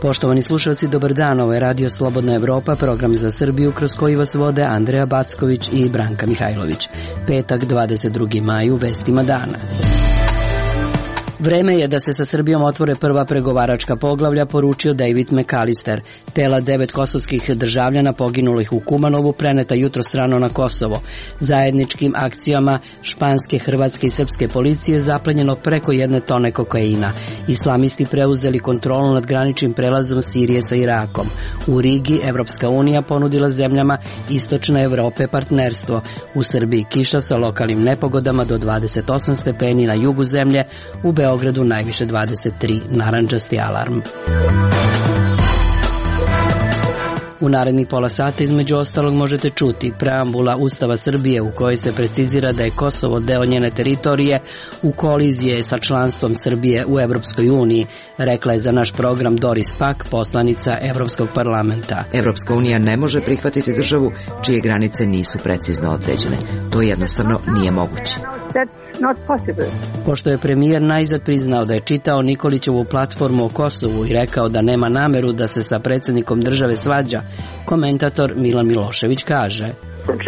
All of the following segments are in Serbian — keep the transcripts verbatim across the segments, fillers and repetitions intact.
Poštovani slušalci, dobar dan, ovo je Radio Slobodna Evropa, program za Srbiju kroz koji vas vode Andreja Backović i Branka Mihajlović. Petak, dvadeset drugi maj, u vestima dana. Vreme je da se sa Srbijom otvore prva pregovaračka poglavlja, poručio David McAllister. Tela devet kosovskih državljana poginulih u Kumanovu preneta jutro strano na Kosovo. Zajedničkim akcijama španske, hrvatske i srpske policije zaplenjeno preko jedne tone kokaina. Islamisti preuzeli kontrolu nad graničnim prelazom Sirije sa Irakom. U Rigi Evropska unija ponudila zemljama Istočne Evrope partnerstvo. U Srbiji kiša sa lokalnim nepogodama do dvadeset osam stepeni na jugu zemlje, u Beogradu najviše dvadeset tri, narandžasti alarm. U narednih pola sata između ostalog možete čuti preambula Ustava Srbije u kojoj se precizira da je Kosovo deo njene teritorije u koliziji sa članstvom Srbije u Evropskoj uniji, rekla je za naš program Doris Pack, poslanica Evropskog parlamenta. Evropska unija ne može prihvatiti državu čije granice nisu precizno određene. To jednostavno nije moguće. Pošto je premijer najzad priznao da je čitao Nikolićevu platformu o Kosovu i rekao da nema nameru da se sa predsjednikom države svađa, komentator Milan Milošević kaže: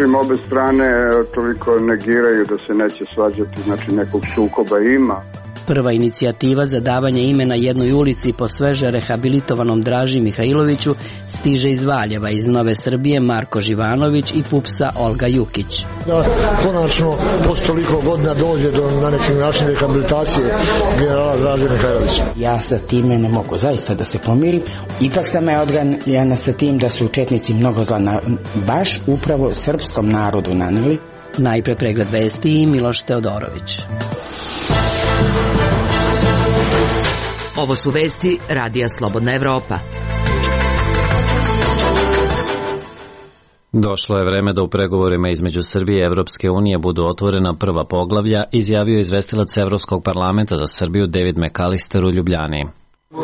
Čim obe strane toliko negiraju da se neće svađati, znači nekog sukoba ima. Prva inicijativa za davanje imena jednoj ulici po sveže rehabilitovanom Draži Mihajloviću stiže iz Valjeva, iz Nove Srbije Marko Živanović i Pupsa Olga Jukić. Da konačno posle toliko godina dođe do na neki način rehabilitacije generala Draže Mihajlovića. Ja sa time ne mogu zaista da se pomirim. Ipak sam je odganjena sa tim da su četnici mnogo zla na, baš upravo srpskom narodu naneli. Najpre pregled vesti i Miloš Teodorović. Ovo su vesti Radija Slobodna Evropa. Došlo je vreme da u pregovorima između Srbije i Evropske unije budu otvorena prva poglavlja, izjavio izvestilac Evropskog parlamenta za Srbiju David McAllister u Ljubljani.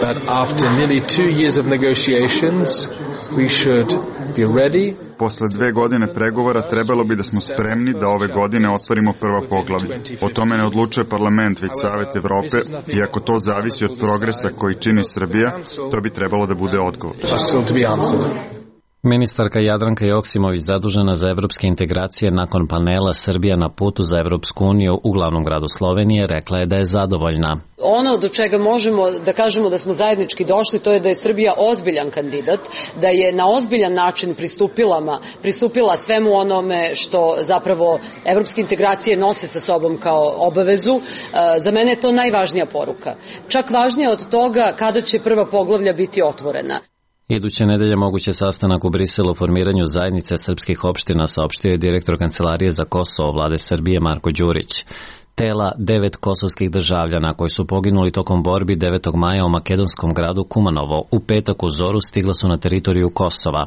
That after nearly two years of negotiations, we should be ready. Posle dve godine pregovora trebalo bi da smo spremni da ove godine otvorimo prva poglavlja. O tome ne odlučuje parlament, već Savet Evrope, i ako to zavisi od progresa koji čini Srbija, to bi trebalo da bude odgovor. Ministarka Jadranka Joksimović, zadužena za evropske integracije nakon panela Srbija na putu za Evropsku uniju u glavnom gradu Slovenije, rekla je da je zadovoljna. Ono do čega možemo da kažemo da smo zajednički došli, to je da je Srbija ozbiljan kandidat, da je na ozbiljan način pristupila, pristupila svemu onome što zapravo evropske integracije nose sa sobom kao obavezu. Za mene je to najvažnija poruka. Čak važnije od toga kada će prva poglavlja biti otvorena. Iduće nedelje moguće sastanak u Briselu o formiranju zajednice srpskih opština, saopštio je direktor Kancelarije za Kosovo vlade Srbije Marko Đurić. Tela devet kosovskih državljana koji su poginuli tokom borbi devetog maja u makedonskom gradu Kumanovo u petak u zoru stigla su na teritoriju Kosova.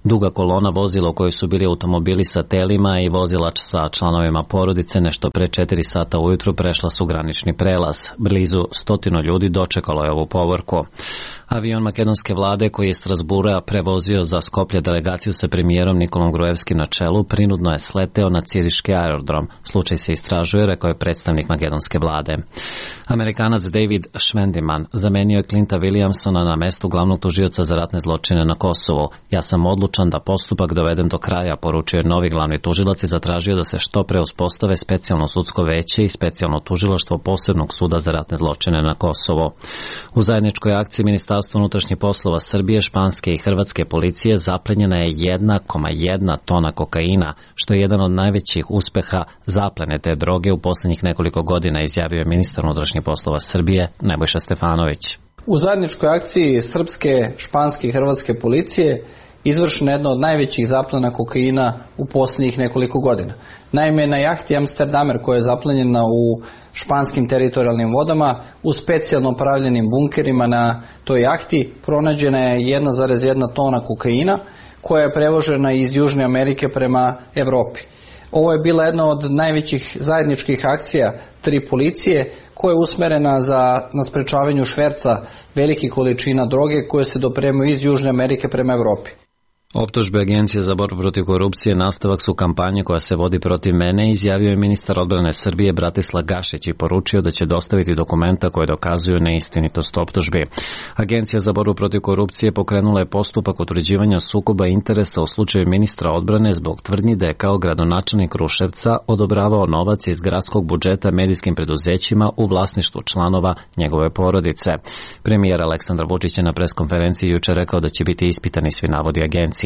Duga kolona vozila u kojoj su bili automobili sa telima i vozilač sa članovima porodice nešto pre četiri sata ujutru prešla su granični prelaz. Blizu stotinu ljudi dočekalo je ovu povorku. Avion makedonske vlade koji je iz Strasbura prevozio za Skoplje delegaciju sa premijerom Nikolom Gruevskim na čelu prinudno je sleteo na Ciriški aerodrom. Slučaj se istražuje, rekao je predstavnik makedonske vlade. Amerikanac David Schwendiman zamenio je Clinta Williamsona na mestu glavnog tužioca za ratne zločine na Kosovu. Ja sam odlučan da postupak dovedem do kraja, poručio je novi glavni tužilac i zatražio da se što pre uspostave specijalno sudsko veće i specijalno tužilaštvo posebnog suda za ratne zločine na Kosovo. U zajedničkoj akciji Ministarstva unutrašnjih poslova Srbije, španske i hrvatske policije zaplenjena je jedna zarez jedna tona kokaina, što je jedan od najvećih uspeha zaplene te droge u posljednjih nekoliko godina, izjavio je ministar unutrašnjih poslova Srbije Nebojša Stefanović. U zajedničkoj akciji srpske, španske i hrvatske policije izvršena jedna od najvećih zaplena kokaina u posljednjih nekoliko godina. Naime, na jahti Amsterdamer koja je zaplenjena u španskim teritorijalnim vodama u specijalno pravljenim bunkerima na toj jahti pronađena je jedna zarez jedna tona kokaina koja je prevožena iz Južne Amerike prema Evropi. Ovo je bila jedna od najvećih zajedničkih akcija tri policije koja je usmerena za, na sprečavanju šverca velikih količina droge koje se dopremaju iz Južne Amerike prema Evropi. Optužbe Agencije za borbu protiv korupcije nastavak su kampanje koja se vodi protiv mene, izjavio je ministar odbrane Srbije Bratislav Gašić i poručio da će dostaviti dokumenta koje dokazuju neistinitost optužbi. Agencija za borbu protiv korupcije pokrenula je postupak utvrđivanja sukoba interesa u slučaju ministra odbrane zbog tvrdnji da je kao gradonačelnik Kruševca odobravao novac iz gradskog budžeta medijskim preduzećima u vlasništvu članova njegove porodice. Premijer Aleksandar Vučić je na preskonferenciji juče rekao da će biti ispitani svi navodi agencije.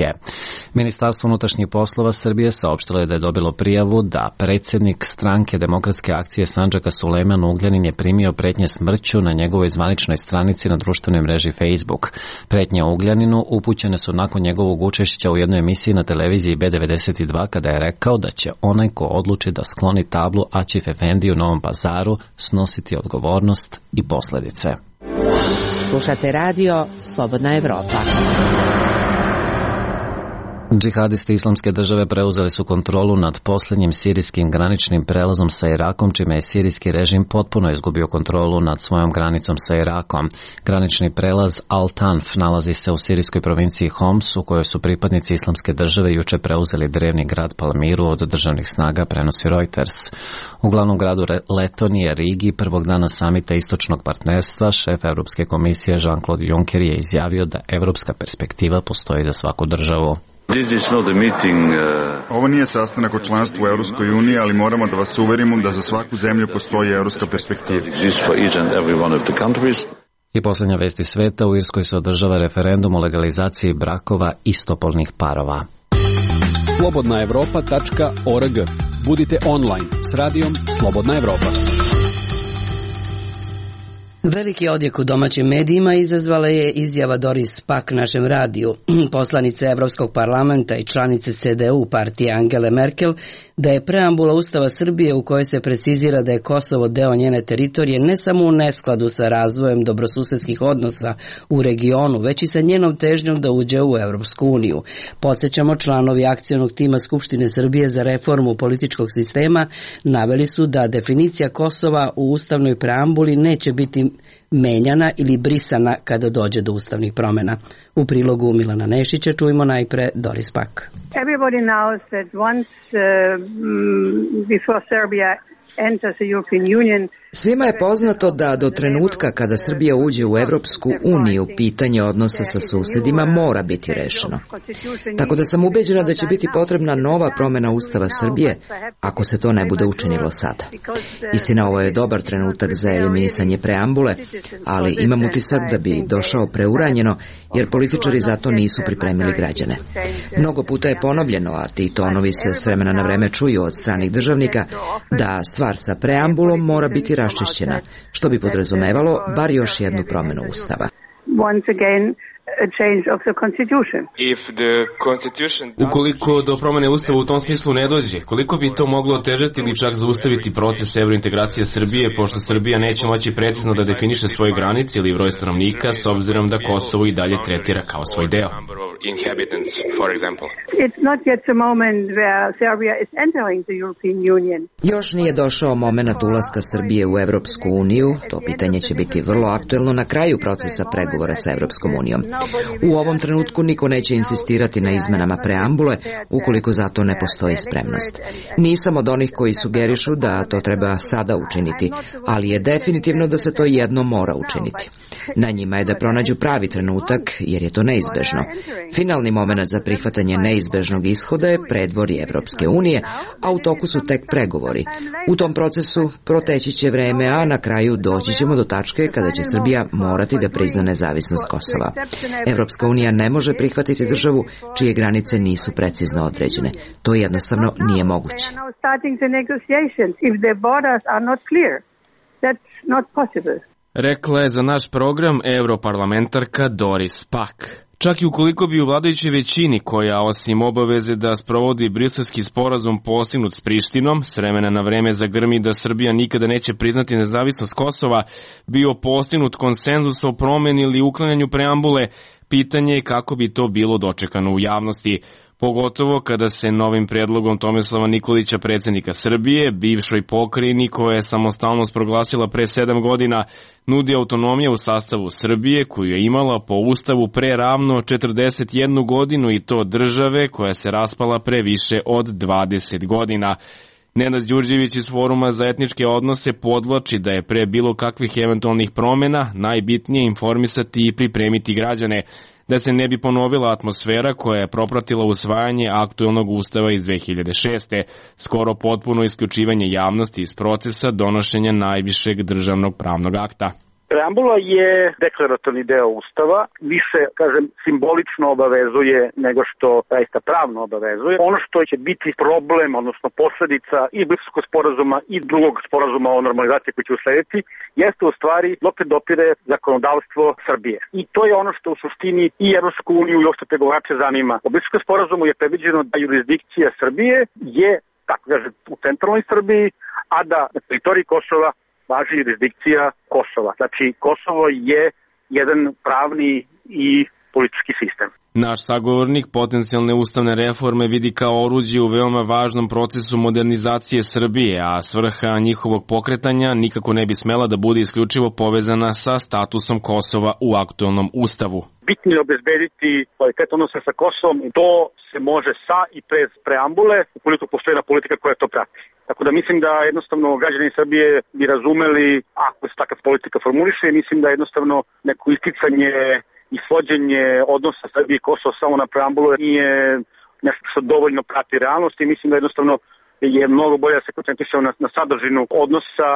Ministarstvo unutrašnjih poslova Srbije saopštilo je da je dobilo prijavu da predsjednik stranke Demokratske akcije Sandžaka Sulejman Ugljanin je primio pretnje smrću na njegovoj zvaničnoj stranici na društvenoj mreži Facebook. Pretnje Ugljaninu upućene su nakon njegovog učešća u jednoj emisiji na televiziji B devedeset dva kada je rekao da će onaj ko odluči da skloni tablu Aćif Efendi u Novom Pazaru snositi odgovornost i posledice. Slušate radio Slobodna Evropa. Džihadisti Islamske države preuzeli su kontrolu nad posljednjim sirijskim graničnim prelazom sa Irakom, čime je sirijski režim potpuno izgubio kontrolu nad svojom granicom sa Irakom. Granični prelaz Al-Tanf nalazi se u sirijskoj provinciji Homs, u kojoj su pripadnici Islamske države juče preuzeli drevni grad Palmiru od državnih snaga, prenosi Reuters. U glavnom gradu Letonije, Rigi, prvog dana samita istočnog partnerstva, šef Evropske komisije Jean-Claude Juncker je izjavio da evropska perspektiva postoji za svaku državu. Ovo nije sastanak o članstvu u Europskoj uniji, ali moramo da vas uverimo da za svaku zemlju postoji evropska perspektiva. I posljednja vest iz sveta, u Irskoj se održava referendum o legalizaciji brakova istopolnih parova. slobodna evropa tačka org. Budite online s radijom Slobodna Evropa. Veliki odjek u domaćim medijima izazvala je izjava Doris Pack našem radiju, poslanice Evropskog parlamenta i članice C D U partije Angele Merkel, da je preambula Ustava Srbije u kojoj se precizira da je Kosovo deo njene teritorije ne samo u neskladu sa razvojem dobrosusedskih odnosa u regionu, već i sa njenom težnjom da uđe u Evropsku uniju. Podsjećamo, članovi akcionog tima Skupštine Srbije za reformu političkog sistema naveli su da definicija Kosova u ustavnoj preambuli neće biti menjana ili brisana kada dođe do ustavnih promjena. U prilogu Milana Nešića čujemo najpre Doris Pack. Everybody knows that once uh, before Serbia enters the European Union. Svima je poznato da do trenutka kada Srbija uđe u Evropsku uniju, pitanje odnosa sa susjedima mora biti rešeno. Tako da sam ubeđena da će biti potrebna nova promjena Ustava Srbije ako se to ne bude učinilo sada. Istina, ovo je dobar trenutak za eliminisanje preambule, ali imam utisak da bi došao preuranjeno, jer političari za to nisu pripremili građane. Mnogo puta je ponovljeno, a ti tonovi se s vremena na vreme čuju od stranih državnika, da stvar sa preambulom mora biti raščišćena, što bi podrazumevalo bar još jednu promjenu Ustava. Ukoliko do promjene Ustava u tom smislu ne dođe, koliko bi to moglo otežati ili čak zaustaviti proces evrointegracije Srbije, pošto Srbija neće moći precizno da definiše svoje granice ili broj stanovnika, s obzirom da Kosovo i dalje tretira kao svoj deo? Još nije došao momenat ulaska Srbije u Evropsku uniju, to pitanje će biti vrlo aktuelno na kraju procesa pregovora sa Evropskom unijom. U ovom trenutku niko neće insistirati na izmenama preambule ukoliko za to ne postoji spremnost. Nisam od onih koji sugerišu da to treba sada učiniti, ali je definitivno da se to jedno mora učiniti. Na njima je da pronađu pravi trenutak, jer je to neizbežno. Finalni moment za prihvatanje neizbežnog ishoda je predvorje Evropske unije, a u toku su tek pregovori. U tom procesu proteći će vreme, a na kraju doći ćemo do tačke kada će Srbija morati da prizna nezavisnost Kosova. Evropska unija ne može prihvatiti državu čije granice nisu precizno određene. To jednostavno nije moguće. Rekla je za naš program europarlamentarka Doris Pack. Čak i ukoliko bi u vladajućoj većini, koja osim obaveze da sprovodi briselski sporazum postignut s Prištinom, s vremena na vreme zagrmi da Srbija nikada neće priznati nezavisnost Kosova, bio postignut konsenzus o promjeni ili uklanjanju preambule, pitanje je kako bi to bilo dočekano u javnosti. pogotovo kada se novim predlogom Tomislava Nikolića, predsjednika Srbije, bivšoj pokrajini koja je samostalnost proglasila pre sedam godina, nudi autonomija u sastavu Srbije koju je imala po ustavu pre ravno četrdeset jednu godinu i to države koja se raspala pre više od dvadeset godina. Nenad Đurđević iz Foruma za etničke odnose podvlači da je pre bilo kakvih eventualnih promjena najbitnije informisati i pripremiti građane, da se ne bi ponovila atmosfera koja je propratila usvajanje aktuelnog ustava iz dve hiljade šeste. Skoro potpuno isključivanje javnosti iz procesa donošenja najvišeg državnog pravnog akta. Preambula je deklaratorni deo Ustava, više, kažem, simbolično obavezuje nego što zaista pravno obavezuje. Ono što će biti problem, odnosno posledica i Briselskog sporazuma i drugog sporazuma o normalizaciji koji će uslediti, jeste u stvari dokle dopire zakonodavstvo Srbije. I to je ono što u suštini i Evropsku uniju i uopšte pregovarače zanima. U Briselskom sporazumu je predviđeno da jurisdikcija Srbije je, tako kaže, u centralnoj Srbiji, a da na teritoriji Kosova važi jurisdikcija Kosova. Znači, Kosovo je jedan pravni i politički sistem. Naš sagovornik potencijalne ustavne reforme vidi kao oruđe u veoma važnom procesu modernizacije Srbije, a svrha njihovog pokretanja nikako ne bi smela da bude isključivo povezana sa statusom Kosova u aktuelnom ustavu. Bitno je obezbediti kvalitet odnosa sa Kosovom i to se može sa i bez preambule, ukoliko postoji jedna politika koja to prati. Tako da mislim da jednostavno građani Srbije bi razumeli ako se takav politika formuliše i mislim da jednostavno neko isticanje i svođenje odnosa Srbije i Kosova samo na preambulu nije nešto što dovoljno prati realnost i mislim da jednostavno je mnogo bolje da se koncentrišemo na, na sadržinu odnosa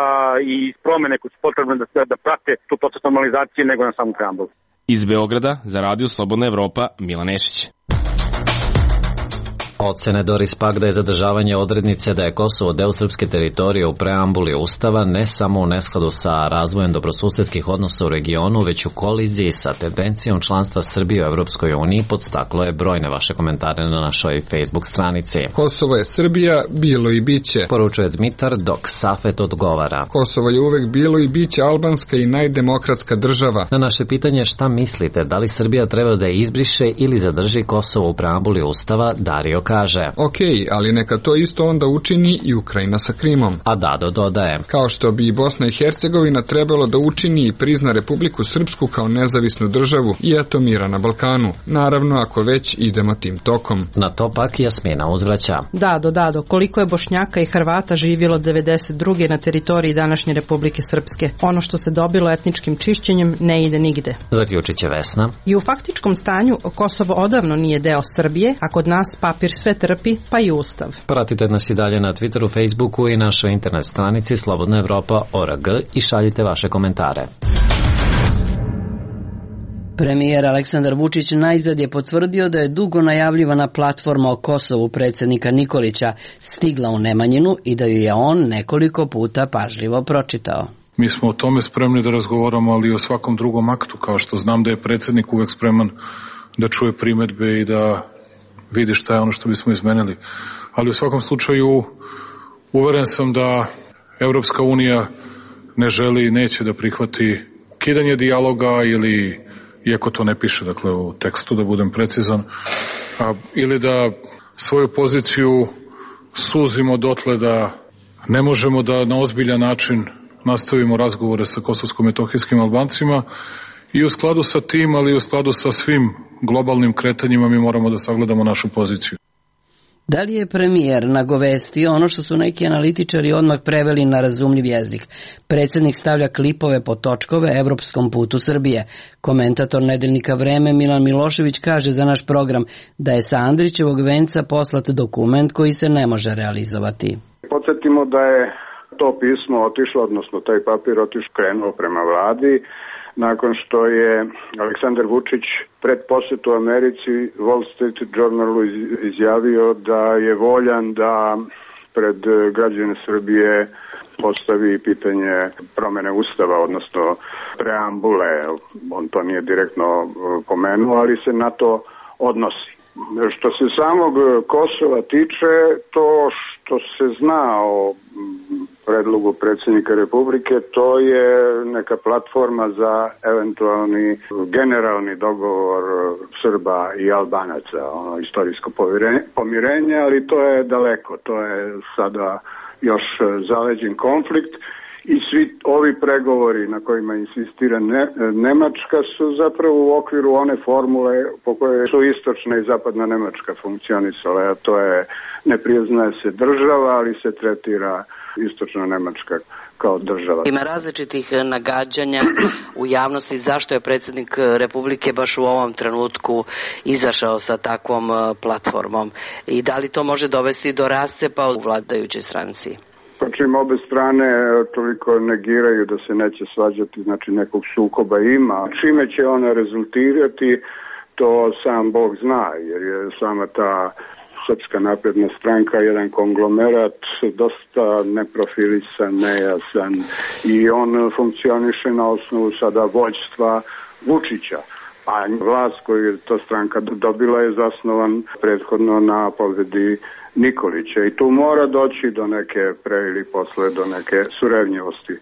i promene koje su potrebne da, da prate tu proces normalizacije nego na samu preambulu. Iz Beograda za Radio Slobodna Evropa, Milan Nešić. Ocene Doris Pack da je zadržavanje odrednice da je Kosovo deo srpske teritorije u preambuli Ustava ne samo u neskladu sa razvojem dobrosusedskih odnosa u regionu, već u koliziji sa tendencijom članstva Srbije u Evropskoj uniji, podstaklo je brojne vaše komentare na našoj Facebook stranici. Kosovo je Srbija, bilo i biće, poručuje Dmitar, dok Safet odgovara. Kosovo je uvek bilo i biće albanska i najdemokratska država. Na naše pitanje šta mislite, da li Srbija treba da je izbriše ili zadrži Kosovo u preambuli Ustava, Dario kaže. Ok, ali neka to isto onda učini i Ukrajina sa Krimom. A Dado dodaje. Kao što bi i Bosna i Hercegovina trebalo da učini i prizna Republiku Srpsku kao nezavisnu državu i eto mira na Balkanu. Naravno, ako već idemo tim tokom. Na to pak Jasmina uzvraća. Dado, Dado, koliko je Bošnjaka i Hrvata živjelo devedeset druge na teritoriji današnje Republike Srpske? Ono što se dobilo etničkim čišćenjem ne ide nigde. Zaključit će Vesna. I u faktičkom stanju Kosovo odavno nije deo Srbije, a kod nas papir sve trpi, pa i ustav. Pratite nas i dalje na Twitteru, Facebooku i našoj internet stranici Slobodna Evropa точка org i šaljite vaše komentare. Premijer Aleksandar Vučić najzad je potvrdio da je dugo najavljivana platforma o Kosovu predsjednika Nikolića stigla u Nemanjinu i da ju je on nekoliko puta pažljivo pročitao. Mi smo o tome spremni da razgovaramo, ali i o svakom drugom aktu, kao što znam da je predsjednik uvek spreman da čuje primedbe i da vidi šta je ono što bismo izmenili. Ali u svakom slučaju uveren sam da Evropska unija ne želi i neće da prihvati kidanje dijaloga ili, iako to ne piše dakle u tekstu, da budem precizan, a, ili da svoju poziciju suzimo dotle da ne možemo da na ozbiljan način nastavimo razgovore sa kosovsko-metohijskim Albancima i u skladu sa tim, ali i u skladu sa svim globalnim kretanjima mi moramo da sagledamo našu poziciju. Da li je premijer nagovestio ono što su neki analitičari odmah preveli na razumljiv jezik? Predsjednik stavlja klipove po točkove evropskom putu Srbije. Komentator nedeljnika Vreme Milan Milošević kaže za naš program da je sa Andrićevog venca poslat dokument koji se ne može realizovati. Podsjetimo da je to pismo otišlo, odnosno taj papir otišao krenuo prema vladi, nakon što je Aleksandar Vučić pred posjetu Americi Wall Street Journalu izjavio da je voljan da pred građane Srbije postavi pitanje promene ustava, odnosno preambule. On to nije direktno pomenuo, ali se na to odnosi. Što se samog Kosova tiče, to što se zna o predlogu predsjednika Republike, to je neka platforma za eventualni generalni dogovor Srba i Albanaca, ono istorijsko pomirenje, ali to je daleko, to je sada još zaleđen konflikt. I svi ovi pregovori na kojima insistira ne, Nemačka su zapravo u okviru one formule po kojoj su istočna i zapadna Nemačka funkcionisala, a to je ne priznaje se država, ali se tretira istočna Nemačka kao država. Ima različitih nagađanja u javnosti zašto je predsjednik Republike baš u ovom trenutku izašao sa takvom platformom i da li to može dovesti do rascepa u vladajućoj stranci? Pa čim obe strane toliko negiraju da se neće svađati, znači nekog sukoba ima. Čime će ona rezultirati, to sam Bog zna, jer je sama ta Srpska napredna stranka jedan konglomerat, dosta neprofilisan, nejasan i on funkcioniše na osnovu sada vođstva Vučića. A vlast koju je ta stranka dobila je zasnovan prethodno na pobedi Nikolića i tu mora doći do neke pre ili posle do neke surevnjivosti.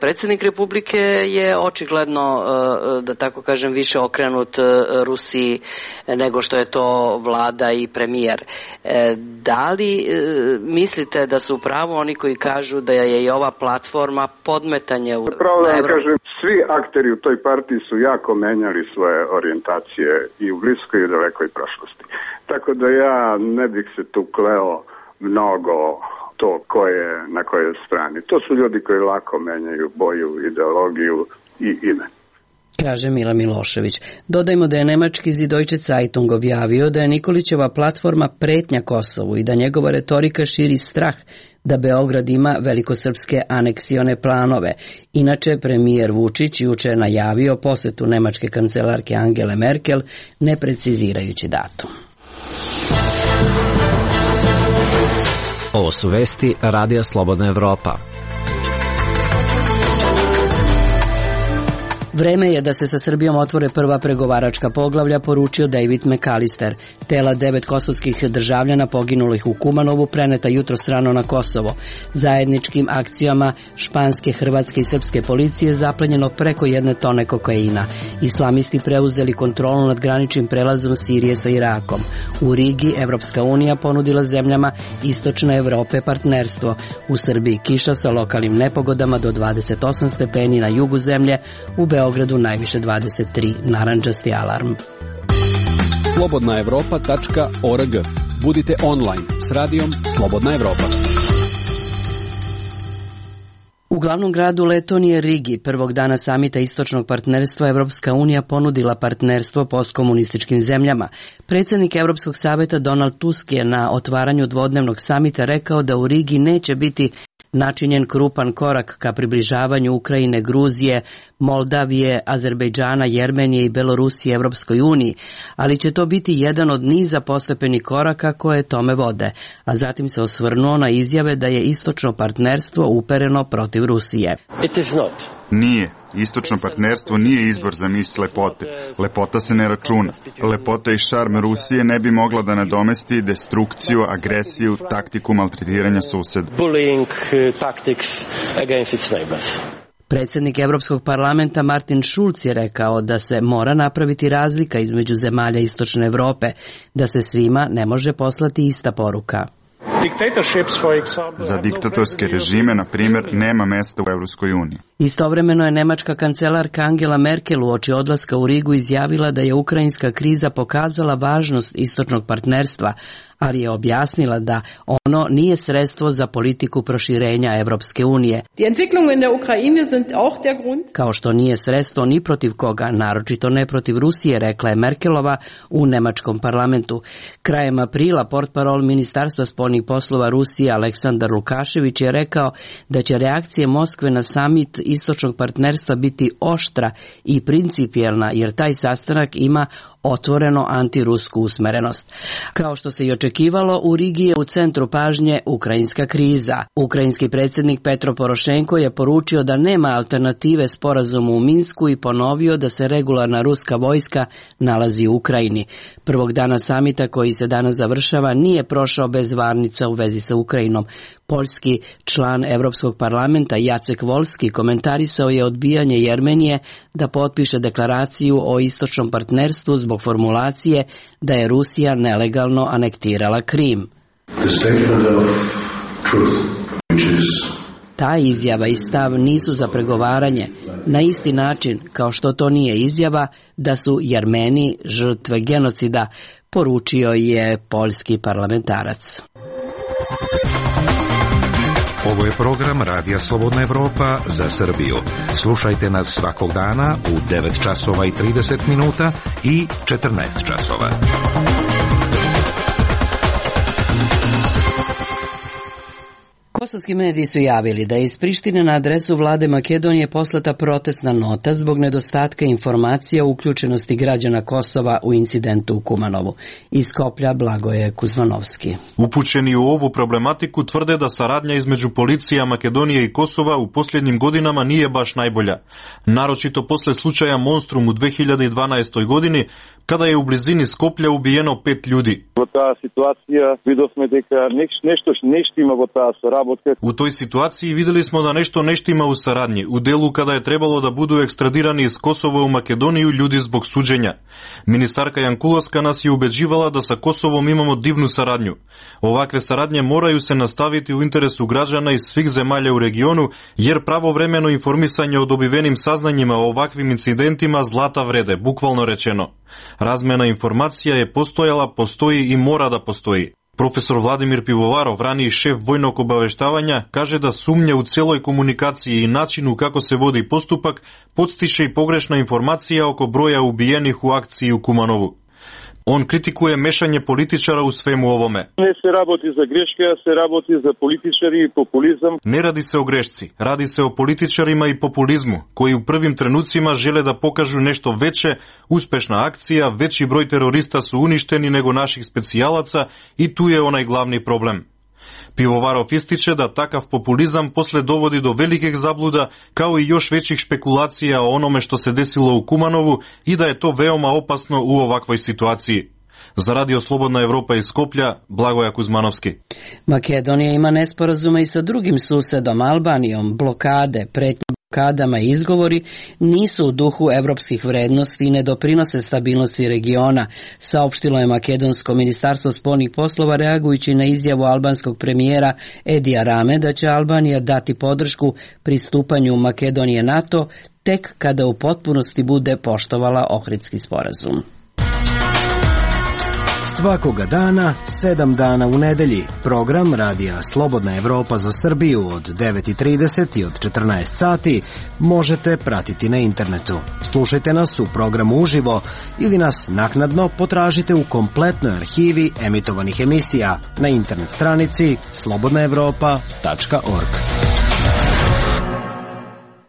Predsjednik Republike je očigledno, da tako kažem, više okrenut Rusiji nego što je to vlada i premijer. Da li mislite da su pravo oni koji kažu da je i ova platforma podmetanje u... Pravo da vam kažem, svi akteri u toj partiji su jako menjali svoje orijentacije i u bliskoj i u dalekoj prošlosti. Tako da ja ne bih se tu kleo mnogo to ko je na kojoj strani. To su ljudi koji lako menjaju boju, ideologiju i ime. Kaže Mila Milošević. Dodajmo da je nemački Süddeutsche Zeitung objavio da je Nikolićeva platforma pretnja Kosovu i da njegova retorika širi strah da Beograd ima velikosrpske aneksione planove. Inače, premijer Vučić juče je najavio posetu nemačke kancelarke Angele Merkel, ne precizirajući datum. Ovo su vesti Radija Slobodna Evropa. Vreme je da se sa Srbijom otvore prva pregovaračka poglavlja, poručio David McAllister. Tela devet kosovskih državljana poginulih u Kumanovu preneta jutros rano na Kosovo. Zajedničkim akcijama španske, hrvatske i srpske policije zaplenjeno preko jedne tone kokaina. Islamisti preuzeli kontrolu nad graničnim prelazom Sirije sa Irakom. U Rigi Evropska unija ponudila zemljama Istočne Evrope partnerstvo. U Srbiji kiša sa lokalnim nepogodama do dvadeset osam stepeni na jugu zemlje, u Beogradu najviše dvadeset tri, narandžasti alarm. slobodna evropa tačka org. Budite online s radijom Slobodna Evropa. U glavnom gradu Letonije Rigi, prvog dana samita istočnog partnerstva, Evropska unija ponudila partnerstvo postkomunističkim zemljama. Predsjednik Evropskog saveta Donald Tusk je na otvaranju dvodnevnog samita rekao da u Rigi neće biti načinjen krupan korak ka približavanju Ukrajine, Gruzije, Moldavije, Azerbejdžana, Jermenije i Belorusije Evropskoj uniji, ali će to biti jedan od niza postepenih koraka koje tome vode, a zatim se osvrnuo na izjave da je istočno partnerstvo upereno protiv Rusije. It is not. Nije. Istočno partnerstvo nije izbor za mis lepote. Lepota se ne računa. Lepota i šarm Rusije ne bi mogla da nadomesti destrukciju, agresiju, taktiku maltretiranja suseda. Bullying tactics against its neighbors. Predsjednik Evropskog parlamenta Martin Schulz je rekao da se mora napraviti razlika između zemalja Istočne Evrope, da se svima ne može poslati ista poruka. Za diktatorske režime, na primjer, nema mesta u Evropskoj uniji. Istovremeno je nemačka kancelarka Angela Merkel uoči odlaska u Rigu izjavila da je ukrajinska kriza pokazala važnost istočnog partnerstva, ali je objasnila da ono nije sredstvo za politiku proširenja Evropske unije. Kao što nije sredstvo ni protiv koga, naročito ne protiv Rusije, rekla je Merkelova u nemačkom parlamentu. Krajem aprila portparol Ministarstva spoljnih poslova Rusije Aleksandar Lukašević je rekao da će reakcije Moskve na samit istočnog partnerstva biti oštra i principijelna, jer taj sastanak ima otvoreno antirusku usmerenost. Kao što se i očekivalo, u Rigi je u centru pažnje ukrajinska kriza. Ukrajinski predsjednik Petro Porošenko je poručio da nema alternative sporazumu u Minsku i ponovio da se regularna ruska vojska nalazi u Ukrajini. Prvog dana samita koji se danas završava nije prošao bez varnica činjenica u vezi sa Ukrajinom. Poljski član Evropskog parlamenta Jacek Volski komentarisao je odbijanje Jermenije da potpiše deklaraciju o istočnom partnerstvu zbog formulacije da je Rusija nelegalno anektirala Krim. Ta izjava i stav nisu za pregovaranje, na isti način kao što to nije izjava da su Jermeni žrtve genocida, poručio je poljski parlamentarac. Ovo je program Radija Slobodna Evropa za Srbiju. Slušajte nas svakog dana u devet časova i trideset minuta i četrnaest časova. Kosovski mediji su javili da je iz Prištine na adresu vlade Makedonije poslata protestna nota zbog nedostatka informacija o uključenosti građana Kosova u incidentu u Kumanovu. Iz Skoplja Blagoje Kuzmanovski. Upućeni u ovu problematiku tvrde da saradnja između policija Makedonije i Kosova u posljednjim godinama nije baš najbolja. Naročito posle slučaja Monstrum u dve hiljade dvanaestoj godini, kada je u blizini Skoplja ubijeno pet ljudi. U toj situaciji vidjeli smo da nešto ne štima u saradnji, u delu kada je trebalo da budu ekstradirani iz Kosova u Makedoniju ljudi zbog suđenja. Ministarka Jankulovska nas je ubeđivala da sa Kosovom imamo divnu saradnju. Ovakve saradnje moraju se nastaviti u interesu građana iz svih zemalja u regionu, jer pravovremeno informisanje o dobivenim saznanjima o ovakvim incidentima zlata vrede, bukvalno rečeno. Razmena informacija je postojala, postoji i mora da postoji. Profesor Vladimir Pivovarov, raniji šef vojnog obaveštavanja, kaže da sumnja u celoj komunikaciji i načinu kako se vodi postupak podstiče i pogrešna informacija oko broja ubijenih u akciji u Kumanovu. On kritikuje mešanje političara u svemu ovome. Ne se raboti za greške, se raboti za političari i populizam. Ne radi se o grešci, radi se o političarima i populizmu, koji u prvim trenucima žele da pokažu nešto veće, uspešna akcija, veći broj terorista su uništeni nego naših specijalaca i tu je onaj glavni problem. Pivovarov ističe da takav populizam posle dovodi do velikih zabluda, kao i još većih špekulacija o onome što se desilo u Kumanovu i da je to veoma opasno u ovakvoj situaciji. Za Radio Slobodna Evropa iz Skoplja, Blagoja Kuzmanovski. Makedonija ima nesporazume i sa drugim susedom Albanijom. Blokade, pretnje blokadama i izgovori nisu u duhu evropskih vrednosti i ne doprinose stabilnosti regiona, saopštilo je Makedonsko ministarstvo spoljnih poslova reagujući na izjavu albanskog premijera Edija Rame da će Albanija dati podršku pristupanju Makedonije NATO tek kada u potpunosti bude poštovala Ohridski sporazum. Svakoga dana, sedam dana u nedelji, program Radija Slobodna Evropa za Srbiju od devet i trideset i od četrnaest sati možete pratiti na internetu. Slušajte nas u programu uživo ili nas naknadno potražite u kompletnoj arhivi emitovanih emisija na internet stranici slobodna evropa tačka org.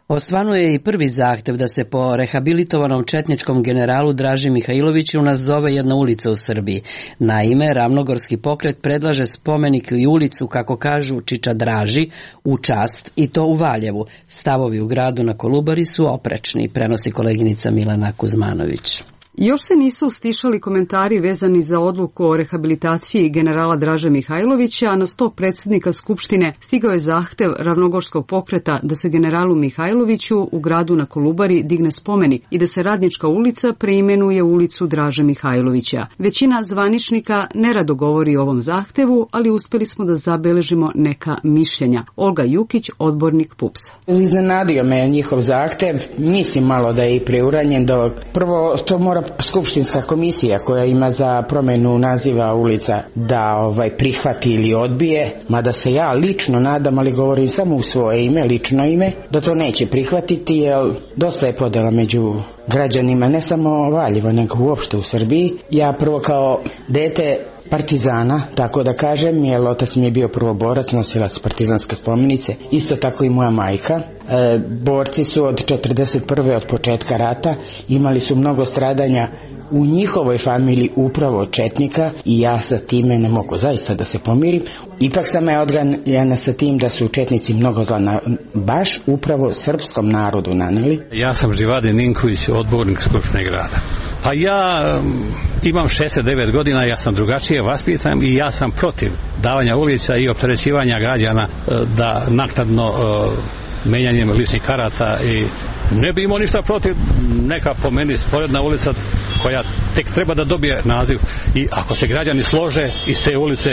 Osvano je i prvi zahtev da se po rehabilitovanom četničkom generalu Draži Mihajloviću nazove jedna ulica u Srbiji. Naime, Ravnogorski pokret predlaže spomenik i ulicu, kako kažu, Čiča Draži u čast, i to u Valjevu. Stavovi u gradu na Kolubari su oprečni, prenosi koleginica Milena Kuzmanović. Još se nisu stišali komentari vezani za odluku o rehabilitaciji generala Draže Mihajlovića, a na sto predsjednika Skupštine stigao je zahtev Ravnogorskog pokreta da se generalu Mihajloviću u gradu na Kolubari digne spomenik i da se Radnička ulica preimenuje u ulicu Draže Mihajlovića. Većina zvaničnika nerado govori o ovom zahtevu, ali uspeli smo da zabeležimo neka mišljenja. Olga Jukić, odbornik P U P S-a. Iznenadio me njihov zahtev, mislim malo da je i preuranjen, dok prvo to mora Skupštinska komisija koja ima za promjenu naziva ulica da ovaj prihvati ili odbije, mada se ja lično nadam, ali govorim samo u svoje ime, lično ime, da to neće prihvatiti, jer dosta je podela među građanima, ne samo Valjevo, nego uopšte u Srbiji. Ja prvo kao dete partizana, tako da kažem, jer otac mi je bio prvoborac, nosilac partizanske spomenice, isto tako i moja majka. E, borci su od četrdeset prve od početka rata, imali su mnogo stradanja u njihovoj familiji upravo od četnika i ja sa time ne mogu zaista da se pomirim. Ipak sam ja odganjena sa tim da su četnici mnogo zla na, baš upravo srpskom narodu naneli. Ja sam Živade Ninković, odbornik Skupštine grada. Pa ja imam šezdeset devet godina, ja sam drugačije vaspitan i ja sam protiv davanja ulica i opterećivanja građana da naknadno menjanjem ličnih karata i ne bi imao ništa protiv neka po meni sporedna ulica koja tek treba da dobije naziv i ako se građani slože iz te ulice,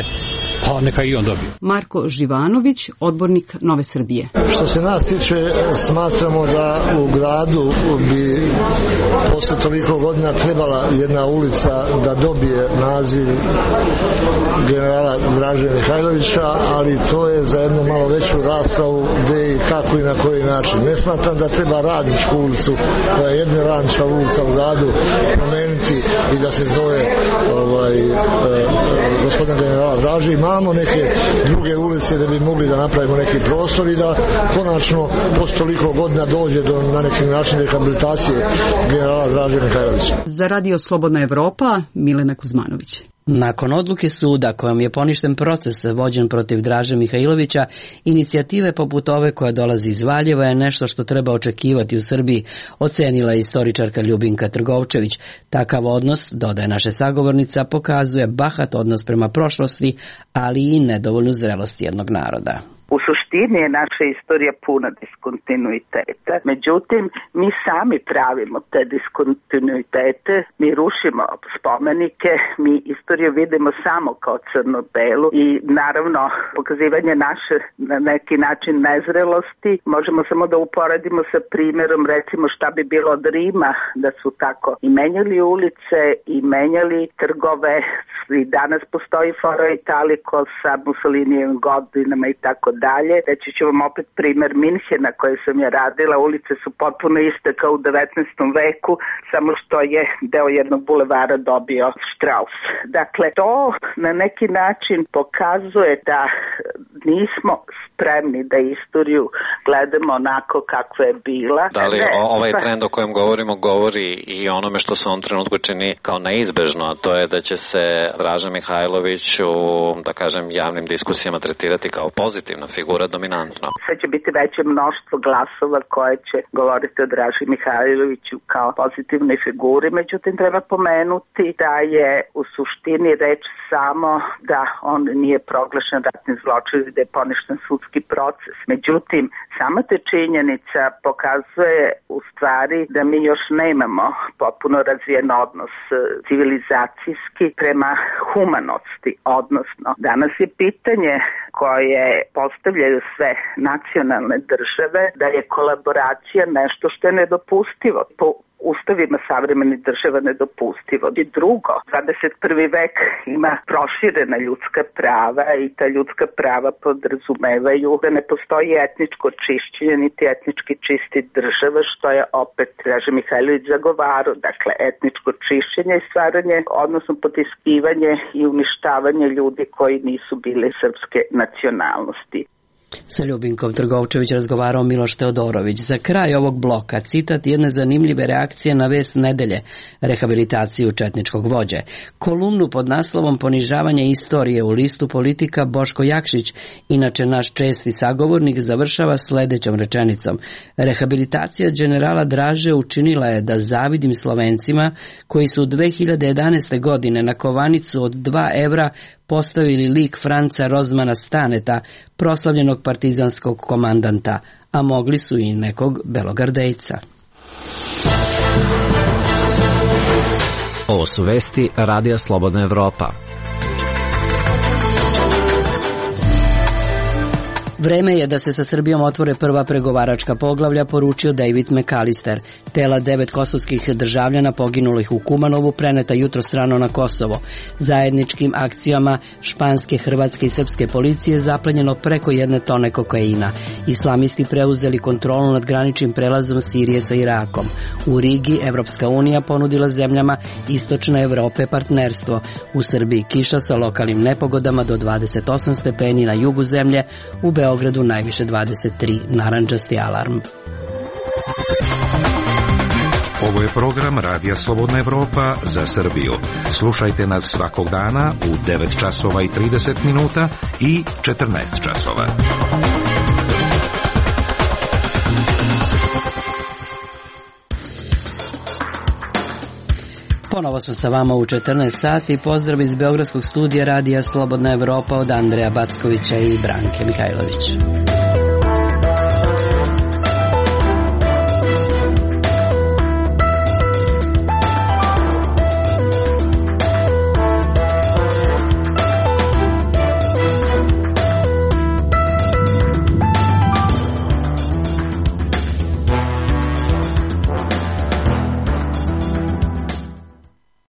pa neka i on dobije. Marko Živanović, odbornik Nove Srbije. Što se nas tiče, smatramo da u gradu bi posle toliko godina trebala jedna ulica da dobije naziv generala Draže Mihajlovića, ali to je za jednu malo veću raspravu gde i kako i na koji način. Ne smatram da treba Radničku ulicu, koja je jedna radnička ulica u gradu, promeniti i da se zove ovaj, eh, gospodin generala Draže. Imamo neke druge ulice da bi mogli da napravimo neki prostor i da konačno posle toliko godina dođe do na neki način rehabilitacije generala Draže Mihajlovića. Za Radio Slobodna Evropa, Milena Kuzmanović. Nakon odluke suda kojom je poništen proces vođen protiv Draže Mihajlovića, inicijative poput ove koja dolazi iz Valjeva je nešto što treba očekivati u Srbiji, ocenila je istoričarka Ljubinka Trgovčević. Takav odnos, dodaje naša sagovornica, pokazuje bahat odnos prema prošlosti, ali i nedovoljnu zrelost jednog naroda. U suštini je naša istorija puna diskontinuiteta, međutim mi sami pravimo te diskontinuitete, mi rušimo spomenike, mi istoriju vidimo samo kao crno-belu i naravno pokazivanje naše na neki način nezrelosti možemo samo da uporedimo sa primjerom recimo šta bi bilo od Rima da su tako i menjali ulice i menjali trgove i danas postoji fora Italiko sa Mussolinijevim godinama i tako dalje. Reći ću vam opet primjer Minhena koje sam ja radila. Ulice su potpuno iste kao u devetnaestom veku, samo što je deo jednog bulevara dobio Strauss. Dakle, to na neki način pokazuje da nismo spremni da istoriju gledamo onako kakva je bila. Da li ovaj trend o kojem govorimo govori i onome što se on trenutku čini kao neizbežno, a to je da će se Draža Mihajlović u, da kažem, javnim diskusijama tretirati kao pozitivna figura dominantno. Sve će biti veće mnoštvo glasova koje će govoriti o Draži Mihajloviću kao pozitivnoj figuri, međutim treba pomenuti da je u suštini reč samo da on nije proglašen ratnim zločinom, da je poništen sudski proces. Međutim, sama te činjenica pokazuje u stvari da mi još nemamo potpuno razvijen odnos civilizacijski prema humanosti, odnosno danas je pitanje koje postavljaju sve nacionalne države da je kolaboracija nešto što je nedopustivo. Po ustavima savremenih država nedopustivo. I drugo, dvadeset prvi vek ima proširena ljudska prava i ta ljudska prava podrazumevaju da ne postoji etničko čišćenje niti etnički čisti država, što je opet Draža Mihajlović zagovarao. Dakle, etničko čišćenje i stvaranje, odnosno potiskivanje i uništavanje ljudi koji nisu bili srpske nacionalnosti. Sa Ljubinkom Trgovčević razgovarao Miloš Teodorović. Za kraj ovog bloka citat jedne zanimljive reakcije na vest nedelje, rehabilitaciju četničkog vođe. Kolumnu pod naslovom Ponižavanje istorije u listu Politika Boško Jakšić, inače naš česti sagovornik, završava sledećom rečenicom. Rehabilitacija generala Draže učinila je da zavidim Slovencima koji su dve hiljade jedanaeste. godine na kovanicu od dva evra postavili lik Franca Rozmana Staneta, proslavljenog partizanskog komandanta, a mogli su i nekog belogardejca. Ovo su vesti Radija Slobodna Evropa. Vreme je da se sa Srbijom otvore prva pregovaračka poglavlja, poručio David McAllister. Tela devet kosovskih državljana poginulih u Kumanovu preneta jutro strano na Kosovo. Zajedničkim akcijama španske, hrvatske i srpske policije zaplenjeno preko jedne tone kokaina. Islamisti preuzeli kontrolu nad graničnim prelazom Sirije sa Irakom. U Rigi Evropska unija ponudila zemljama Istočne Evrope partnerstvo. U Srbiji kiša sa lokalnim nepogodama do dvadeset osam stepeni na jugu zemlje, u Beogradu najviše dvadeset tri, narandžasti alarm. Ovo je program Radija Slobodna Evropa za Srbiju. Slušajte nas svakog dana u devet časova i trideset minuta i četrnaest časova. Ponovo smo sa vama u četrnaest sati. Pozdrav iz Beogradskog studija radija Slobodna Evropa od Andreja Backovića i Branke Mihajlović.